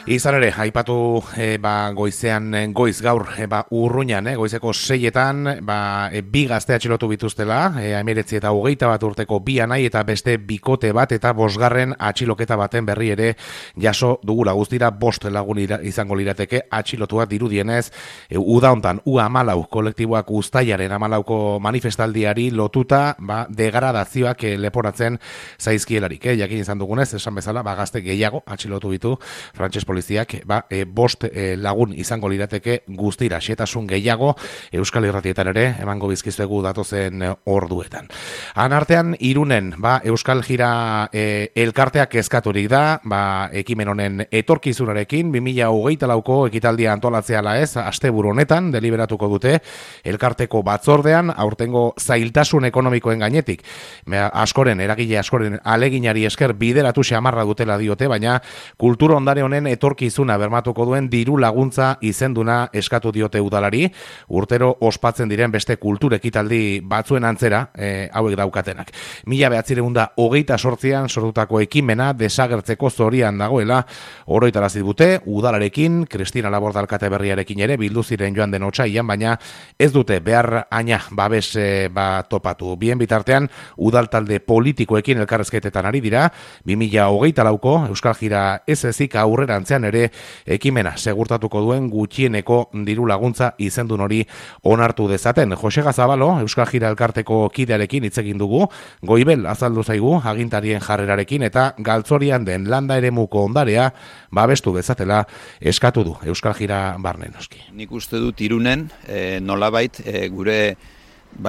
Izan ere, aipatu goizean goiz gaur Urruñan, goizeko 6etan bi gazte atxilotu bituztela, 19 eta 21 urteko bi anai eta beste bikote bat eta 5. atxiloketa baten berri ere jaso dugula. Guztira 5 lagun izango lirateke atxilotuak dirudienez, uda hontan U14 kolektiboak uztailaren 14ko manifestaldiari lotuta degradazioak leporatzen zaizkielarik. Jakin izan dugunez, esan bezala, gazte gehiago atxilotu ditu frantses poliziak 5 lagun izango lirateke guztira, xetasun gehiago Euskal Irratietan ere emango bizkizuegu datozen orduetan. Han artean Irunen Euskal Jira elkarteak eskaturik da, ekimen honen etorkizunarekin 2024ko ekitaldia antolatzea ala ez, asteburu honetan deliberatuko dute elkarteko batzordean aurtengo zailtasun ekonomikoen gainetik. Eragile askoren aleginari esker bideratu xamarra dutela diote, baina kultura ondare honen etorkizuna bermatuko duen diru laguntza izenduna eskatu diote udalari, urtero ospatzen diren beste kultur ekitaldi batzuen antzera hauek daukatenak. 1928an sortutako ekimena desagertzeko zorian dagoela oroitarazi dute udalarekin, Kristina Laborde alkate berriarekin ere bildu ziren joan den otsailean, baina ez dute behar aina babes topatu. Bien bitartean udal talde politikoekin elkarrezketetan ari dira, 2024ko Euskal Jira ez ezik aurrerantzean ere ekimena segurtatuko duen gutxieneko diru laguntza izendun hori onartu dezaten. Jose Gazabalo, Euskal Jira elkarteko kidearekin hitz egin dugu, goibel azaldu zaigu agintarien jarrerarekin eta galtzorian den landa eremuko ondarea babestu dezatela eskatu du Euskal Jira barne noski. Nik uste dut Irunen nolabait gure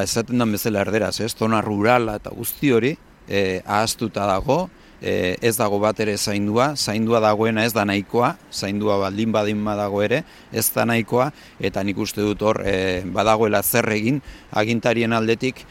esaten den bezala erderaz, zona rurala eta guzti hori ahaztuta dago, ez dago bat ere zaindua dagoena ez da nahikoa, zaindua baldin dago ere, ez da nahikoa, eta nik uste dut hor badagoela zer egin agintarien aldetik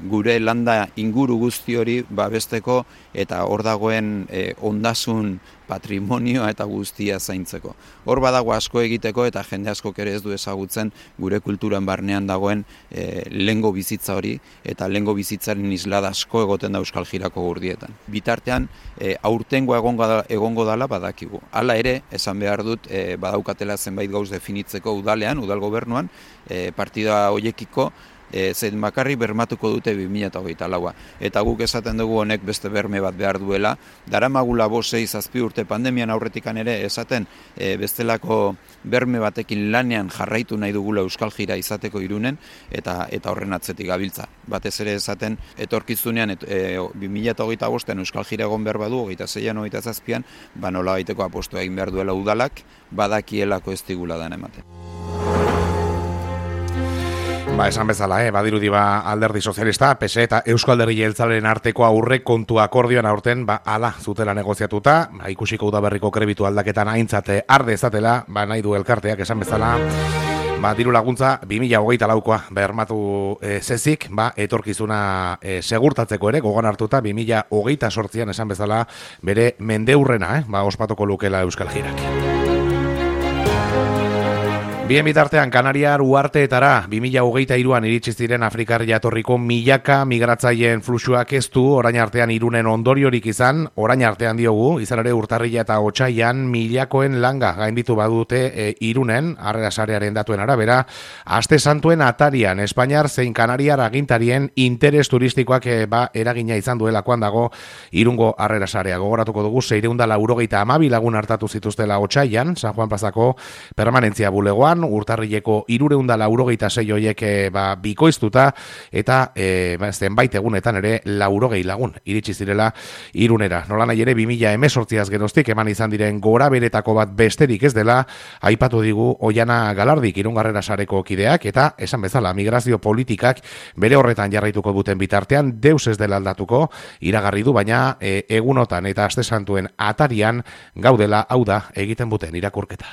gure landa inguru guzti hori babesteko eta hor dagoen ondasun patrimonioa eta guztia zaintzeko. Hor badago asko egiteko eta jende askok ere ez du ezagutzen gure kulturan barnean dagoen lehengo bizitza hori eta lehengo bizitzaren islada asko egoten da Euskal Jirako gurdietan. Bitartean aurtengoa egongo dala badakigu. Hala ere, esan behar dut, badaukatela zenbait gauz definitzeko udalean, udal gobernuan, partida hoiekiko zein bakarri bermatuko dute 2024a. Eta guk esaten dugu honek beste berme bat behar duela. Daramagula 5-6 urte pandemian aurretikan ere esaten bestelako berme batekin lanean jarraitu nahi dugula Euskal Jira izateko Irunen eta horren atzetik gabiltza. Batez ere esaten etorkizunean 2025an Euskal Jira egon behar badu, 26an, 27an, nola baiteko apostua egin behar duela udalak, badakielako ez digula dan ematen. Esan bezala, badirudi Alderdi Sozialista, PSE eta Eusko Alderdi Jeltzalearen arteko aurrekontu akordioan aurten ala zutela negoziatuta, ikusiko udaberriko krebitu aldaketan aintzat arde ezatela, nahi du elkarteak esan bezala, diru laguntza 2024koa bermatu zezik, etorkizuna segurtatzeko ere, gogoan hartuta 2028an esan bezala bere mendeurrena, ospatuko lukela Euskal Jirak. Bien bitartean, Kanariar uharteetara 2023an iritsi ziren Afrikar jatorriko milaka migratzaileen fluxuak ez du orain artean Irunen ondoriorik izan, orain artean diogu, izan ere urtarrila eta otsailean milakoen langa gainditu badute Irunen, Harrera Sarearen datuen arabera, aste santuen atarian Espainiar zein Kanariar agintarien interes turistikoak eragina izan duelakoan dago Irungo Harrera Sarea. Gogoratuko dugu 692 lagun hartatu zituztela otsailean, San Juan Plazako permanentzia bulegoan, urtarrileko 396 horiek bikoiztuta eta zenbait egunetan ere 80 lagun iritsi zirela Irunera. Nola nahi ere 2018az geroztik eman izan diren gora beretako bat besterik ez dela aipatu digu Oiana Galardik Irungo Harrera Sareko kideak eta esan bezala migrazio politikak bere horretan jarraituko duten bitartean deus ez dela aldatuko iragarri du, baina egunotan eta aste santuen atarian gaudela, hau da egiten buten irakurketa.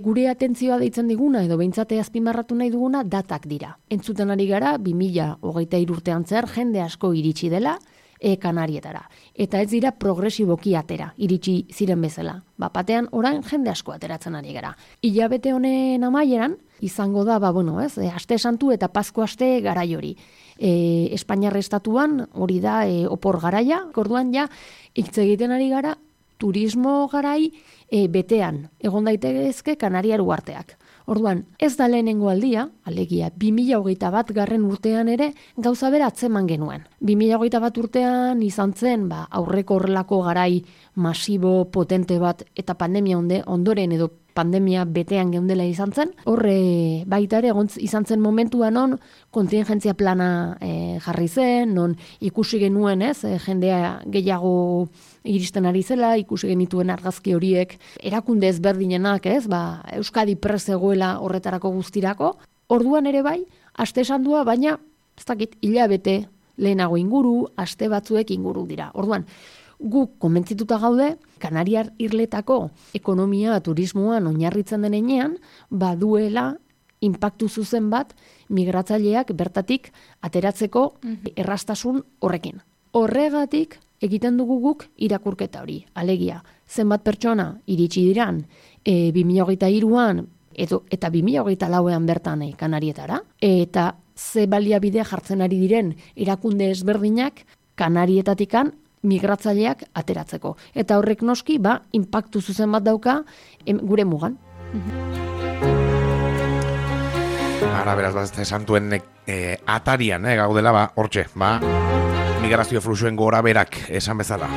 Gure atentzioa deitzen diguna edo behintzate azpimarratu nahi duguna datak dira. Entzuten ari gara 2023 urtean zer jende asko iritsi dela Kanarietara. Eta ez dira progresiboki atera, iritsi ziren bezala. Batean orain jende asko ateratzen ari gara. Hilabete honen amaieran izango da, aste santu eta Pasko aste garai hori. Espainiar estatuan hori da opor garaia, orduan ja hitz egiten ari gara turismo garai betean egon daitezke Kanariar uharteak. Orduan, ez da lehenengo aldia, alegia 2021 urtean ere gauza bera atzeman genuen. 2021 urtean izan zen aurreko horrelako garai masibo potente bat eta pandemia ondoren edo pandemia betean geundela izan zen. Horre baita ere izan zen momentuan non kontingentzia plana jarri zen, non ikusi genuen jendea gehiago iristen ari zela, ikusi genituen argazki horiek erakunde ezberdinenak, Euskadi prest zegoela horretarako guztirako. Orduan ere bai, aste sandua, baina ez dakit hilabete lehenago inguru, aste batzuek inguru dira. Orduan, guk konbentzituta gaude, Kanariar irletako ekonomia turismoan oinarritzen denean, baduela inpaktu zuzen bat migratzaileak bertatik ateratzeko erraztasun horrekin. Horregatik egiten dugu guk irakurketa hori. Alegia, zenbat pertsona iritsi diran 2023an eta 2024an bertan Kanarietara, eta ze baliabide jartzen ari diren erakunde ezberdinak Kanarietatikan migratzaileak ateratzeko. Eta horrek noski, inpaktu zuzen bat dauka gure mugan. Ara, beraz, santuen atarian gaudela, hortxe, migrazio fluxuen gora berak esan bezala.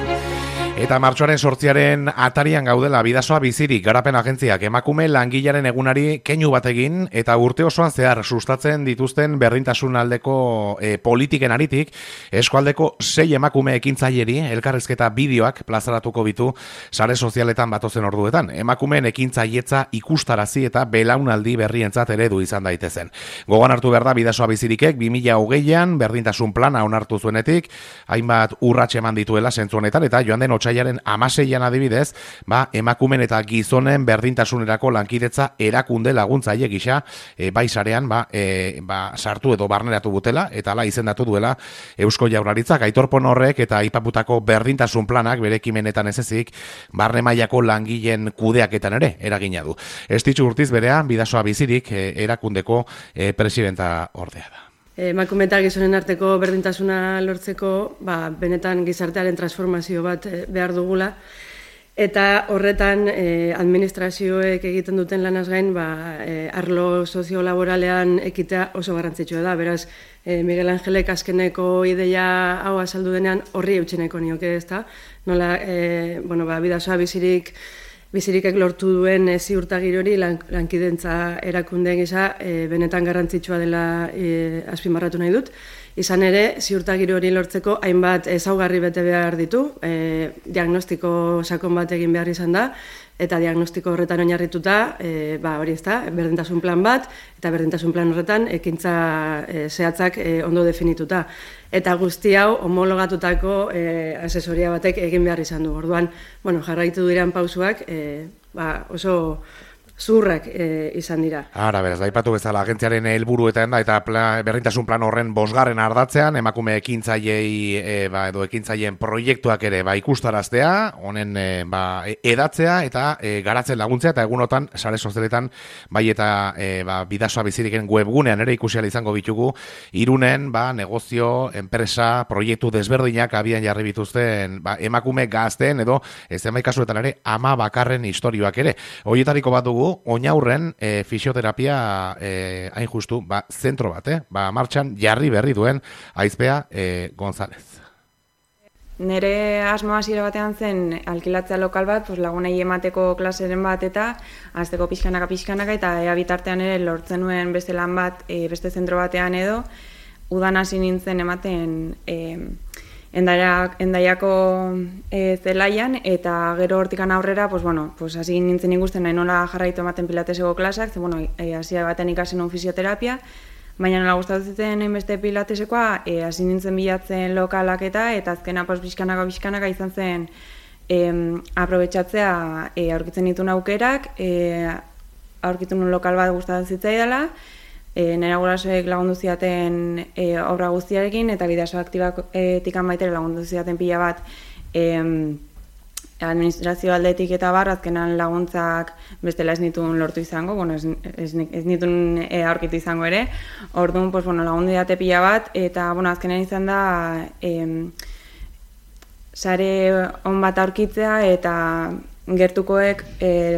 Eta martxoaren 8 atarian gaudela Bidasoa bizirik garapen agentziak emakume langilaren egunari keinu bat egin eta urte osoan zehar sustatzen dituzten berdintasun aldeko politiken aritik eskualdeko 6 emakume ekintzaileri elkarrizketa bideoak plazaratuko bitu sare sozialetan batozen orduetan. Emakumeen ekintzailetza ikustarazi eta belaunaldi berrientzat eredu izan daitezen. Gogoan hartu behar da Bidasoa bizirikek 2020an berdintasun plana onartu zuenetik hainbat urrats eman dituela zentzu honetan eta joan den otsailaren 16an adibidez, emakumen eta gizonen berdintasunerako lankidetza erakunde laguntzaile gisa bai sarean sartu edo barneratu butela eta hala izendatu duela Eusko Jaurlaritzak. Aitorpon horrek eta aipatutako berdintasun planak bere ekimenetan ez ezik barne mailako langileen kudeaketan ere eragina du. Estitxu Urtiz berea Bidasoa bizirik erakundeko presidenta ordea da. Emakume eta gizonen arteko berdintasuna lortzeko, benetan gizartearen transformazio bat behar dugula. Eta horretan administrazioek egiten duten lanaz gain, arlo soziolaboralean ekitea oso garrantzitsua da. Beraz, Miguel Angelek azkeneko ideia hau azaldu denean horri eutxeneko nioke, ezta? Nola, Bidasoa bizirikek lortu duen ziurtagiri hori lankidentza erakunde gisa benetan garrantzitsua dela azpimarratu nahi dut. Izan ere, ziurtagiri hori lortzeko hainbat ezaugarri bete behar ditu, diagnostiko sakon bat egin behar izan da, eta diagnostiko horretan oinarrituta, hori ezta, berdintasun plan bat, eta berdintasun plan horretan ekintza zehatzak ondo definituta. Eta guzti hau homologatutako asesoria batek egin behar izan du. Orduan, jarraitu diren pausuak oso zurrak izan dira. Ara, beraz, daipatu bezala agentziaren helburuetan da eta berdintasun plan horren 5. ardatzean emakume ekintzailei edo ekintzaileen proiektuak ere ikustaraztea, honen edatzea eta garatzen laguntzea eta egunotan sare sozialetan bai eta Bidasoa biziriken webgunean ere ikusi ahal izango bitugu Irunen negozio, enpresa, proiektu desberdinak abian jarri bituzten emakume gazteen edo zenbait kasuetan ere ama bakarren istorioak ere. Horietariko bat dugu Oinaurren fisioterapia hain justu, zentro bat, martxan jarri berri duen Aizpea González. Nere asmoa hasiera batean zen alkilatzea lokal bat, lagunei emateko klaseren bat eta hasteko pixkanaka eta ea bitartean ere lortzen nuen beste lan bat, beste zentro batean edo, udan hasi nintzen ematen Endaiako zelaian eta gero hortikan aurrera, hasi nintzen ikusten nahi nola jarraitu ematen pilateseko klasak, hasi baten ikasen un fisioterapia, baina nola gustatu ziten beste pilatesekoa, hasi nintzen bilatzen lokalak eta azkena pixkanaka izan zen aprobetxatzea aurkitzen ditun aukerak, aurkitu nun lokal bat gustatzen zitzaidala, nera gurasoek lagundu zidaten obra guztiarekin eta Bidasoa aktibatik baitere lagundu zidaten pila bat administrazio aldetik eta azkenan laguntzak bestela ez nituen lortu izango, ez nituen aurkitu izango ere. Orduan, lagundu didate pila bat eta azkenan izan da sare on bat aurkitzea eta gertukoek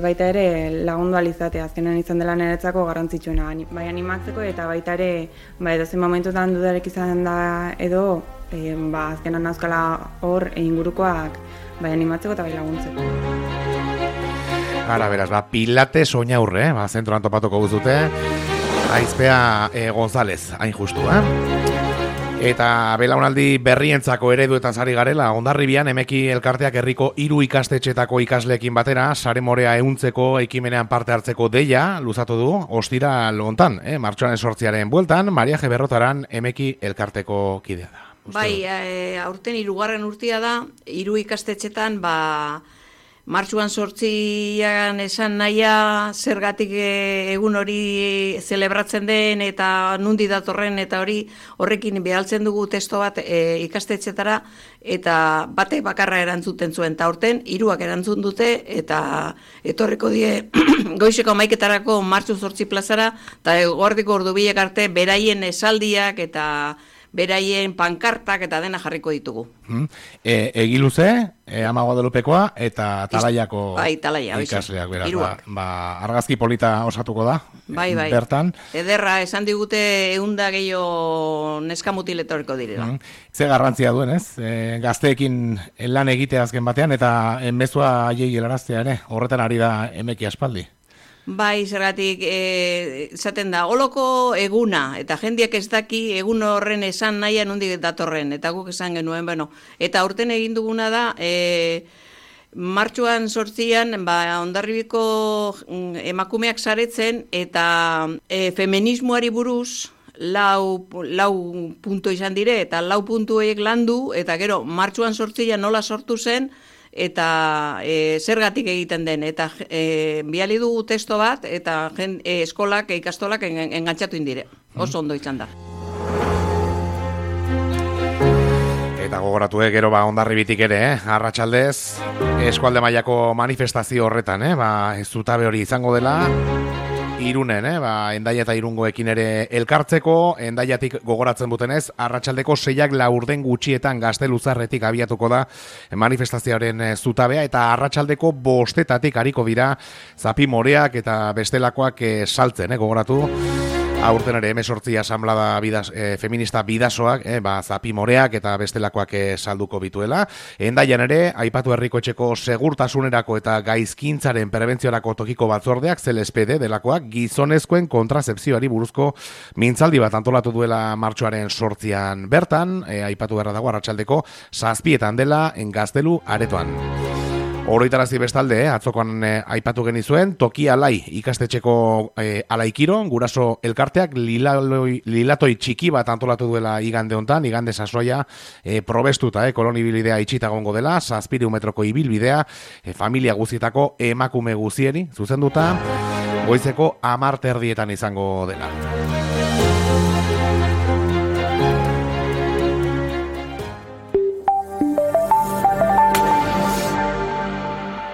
baita ere lagundu alizatea, azkenean izan dela niretzako garrantzitsuena, bai animatzeko eta baita ere edozein momentutan dudarek izan da edo azkenean nauzkala hor ingurukoak bai animatzeko eta bai laguntzeko. Ara, beraz, Pilates Oinaurre, zentroan topatuko guztute, Aizpea González, hain justu, Eta belaunaldi berrientzako ereduetan sari garela, Hondarribian Emeki elkarteak herriko 3 ikastetxetako ikasleekin batera, sare morea ehuntzeko ekimenean parte hartzeko deia luzatu du, ostiral hontan, martxoaren 8 bueltan, Maria G. Berrotaran Emeki elkarteko kidea da. Bai, aurten 3. urtea da, 3 ikastetxetan, martxuan 8 esan nahia zergatik egun hori zelebratzen den eta nundi datorren eta horrekin behaltzen dugu testo bat ikastetxetara eta bate bakarra erantzuten zuen. Eta aurten 3 erantzun dute eta etorriko die goizeko 11etarako martxu 8 plazara eta gordiko ordubilek arte beraien esaldiak eta beraien pankartak eta dena jarriko ditugu. Egiluze, Ama Guadalupekoa eta Talaiako Talaia, ikasleak, beraz, argazki polita osatuko da, bai. Bertan. Ederra, esan digute 100 gehiago neskamutil etorriko direla. Ze garrantzia duen, ez? Gazteekin lan egitea azken batean eta mezua haiei helaraztea ere, horretan ari da Emeki aspaldi. Bai, zergatik, esaten da, holoko eguna, eta jendiak ez daki egun horren esan nahian nondik datorren, eta guk esan genuen, eta aurten egin duguna da, martxuan 8 Hondarribiko emakumeak saretzen, eta feminismoari buruz, lau puntu izan dire, eta 4 puntu horiek landu, eta gero, martxuan 8 nola sortu zen, eta zergatik egiten den, eta biali dugu testo bat, eta eskolak, ikastolak engantzatu indire. Oso ondo izan da. Eta gogoratu gero Hondarribitik ere, arratsaldez, eskualde mailako manifestazio horretan, ez zutabe hori izango dela, Irunen, Hendaia eta Irungoekin ere elkartzeko, Hendaiatik gogoratzen dutenez, arratsaldeko 6 laurden gutxietan Gazteluzarretik abiatuko da manifestazioaren zutabea, eta arratsaldeko 5 ariko dira zapi moreak eta bestelakoak saltzen, gogoratu. Aurten ere 18 asamblada feminista bidasoak, zapi moreak eta bestelakoak salduko bituela. Hendaian ere, aipatu herriko etxeko segurtasunerako eta gaizkintzaren prebentziorako tokiko batzordeak, CLSPD delakoak, gizonezkoen kontrazepzioari buruzko mintzaldi bat antolatu duela martxoaren 8 bertan, aipatu beharra dago arratsaldeko 7 dela Gaztelu aretoan. Oroitarazi bestalde, atzokoan aipatu genizuen, Toki Alai ikastetxeko alaikiro, guraso elkarteak lilatoi txiki bat antolatu duela igande hontan, igande sasoia probestuta, kolonibilidea itxita gongo dela, 7 metroko ibilbidea, familia guzietako emakume guzieri, zuzenduta, goizeko 10 izango dela.